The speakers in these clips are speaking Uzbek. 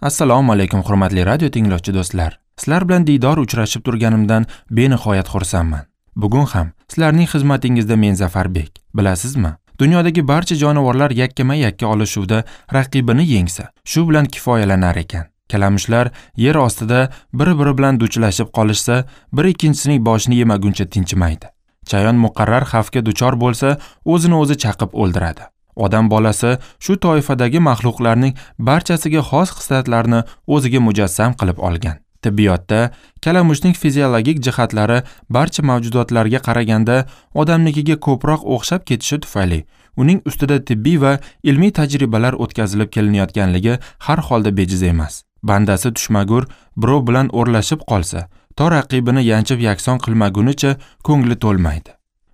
Assalomu alaykum hurmatli radio tinglovchi do'stlar. Sizlar bilan diydor uchrashib turganimdan benihoyat xursandman. Bugun ham sizlarning xizmatingizda men Zafarbek. Bilasizmi? Dunyodagi barcha jonivorlar yakkama-yakka olishuvda raqibini yengsa, shu bilan kifoyalanar ekan. Kalamushlar yer ostida bir-biri bilan duchlashib qolishsa, bir ikkinchisining boshini yemaguncha tinchimaydi. Chayon muqarrar xavfga duchor bo'lsa, o'zini o'zi chaqib o'ldiradi. Odam bolasi shu toifadagi maxluqlarning barchasiga xos xislatlarni o'ziga mujassam qilib olgan. Tibbiyotda kalamushning fiziologik jihatlari barcha mavjudotlarga qaraganda odamnikiga ko'proq o'xshab ketishi tufayli uning ustida tibbiy va ilmiy tajribalar o'tkazilib kelinayotganligi har holda bejiz emas. Bandasi tushmagur birov bilan o'rlashib qolsa, to raqibini yanchib yakson qilmagunicha ko'ngli to'lmaydi.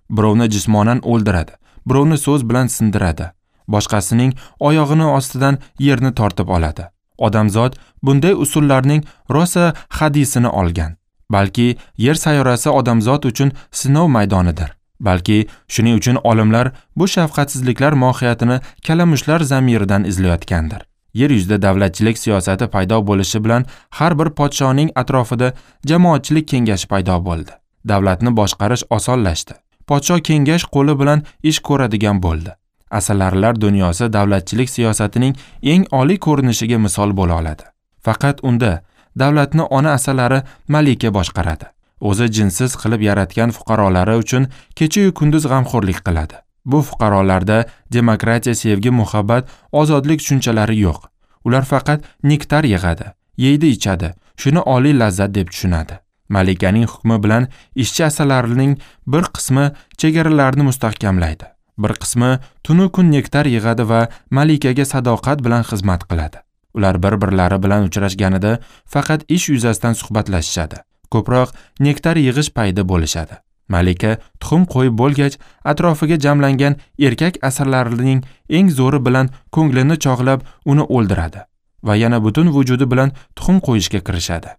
Birovni jismonan o'ldiradi, birovni so'z bilan sindiradi, boshqasining oyog'ini ostidan yerni tortib oladi. Odamzod bunday usullarning rosa hadisini olgan. Balki yer sayyorasi odamzod uchun sinov maydonidir. Balki shuning uchun olimlar bu shafqatsizliklar mohiyatini kalamushlar zamiridan izlayotgandir. Yer yuzida davlatchilik siyosati paydo bo'lishi bilan har bir podshoning atrofida jamoatchilik kengashi paydo bo'ldi. Davlatni boshqarish osonlashdi. Podsho kengash qo'li bilan ish ko'radigan bo'ldi. Asalarilar dunyosi davlatchilik siyosatining eng oliy ko'rinishiga misol bo'la oladi. Faqat unda davlatni ona asalari malika boshqaradi. O'zi jinsiz qilib yaratgan fuqarolari uchun kecha-yu kunduz g'amxo'rlik qiladi. Bu fuqarolarda demokratiya, sevgi, muhabbat, ozodlik tushunchalari yo'q. Ular faqat nektar yig'adi, yeydi, ichadi, shuni oliy lazzat deb tushunadi. Malikaning hukmi bilan ishchi asalarining bir qismi chegaralarni mustahkamlaydi. Bir qismi tunu kun nektar yig'adi va malikaga sadoqat bilan xizmat qiladi. Ular bir-birlari bilan uchrashganida faqat ish yuzasidan suhbatlashishadi. Ko'proq nektar yig'ish payida bo'lishadi. Malika tuxum qo'yib bo'lgach, atrofiga jamlangan erkak asalarining eng zo'ri bilan ko'nglini chog'lab uni o'ldiradi va yana butun vujudi bilan tuxum qo'yishga kirishadi.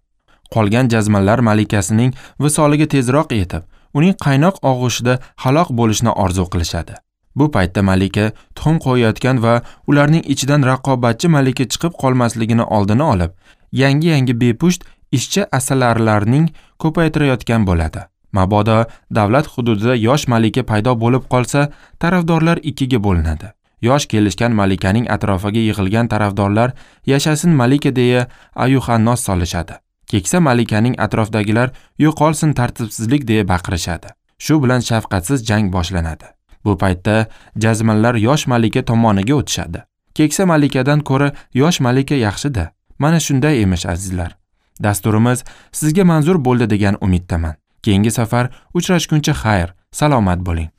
Qolgan jazmanlar malikasining visoliga tezroq yetib, uning qaynoq og'ushida halok bo'lishni orzu qilishadi. Bu paytda malika tuxum qo'yayotgan va ularning ichidan raqobatchi malika chiqib qolmasligini oldini olib, yangi-yangi bepusht ishchi asalarilarning ko'paytirayotgan bo'ladi. Mabodo davlat hududida yosh malika paydo bo'lib qolsa, tarafdorlar ikkiga bo'linadi. Yosh kelishgan malikaning atrofiga yig'ilgan tarafdorlar yashasin malika deya ayuhannos solishadi. Keksa malikaning atrofdagilar yo'qolsin tartibsizlik deya baqirishadi. Shu bilan shafqatsiz jang boshlanadi. Bu paytda jazmanlar yosh malika tomoniga o'tishadi. Keksa malikadan ko'ra yosh malika yaxshi-da. Mana shunday emish azizlar. Dasturimiz sizga manzur bo'ldi degan umiddaman. Keyingi safar uchrashguncha xayr, salomat bo'ling.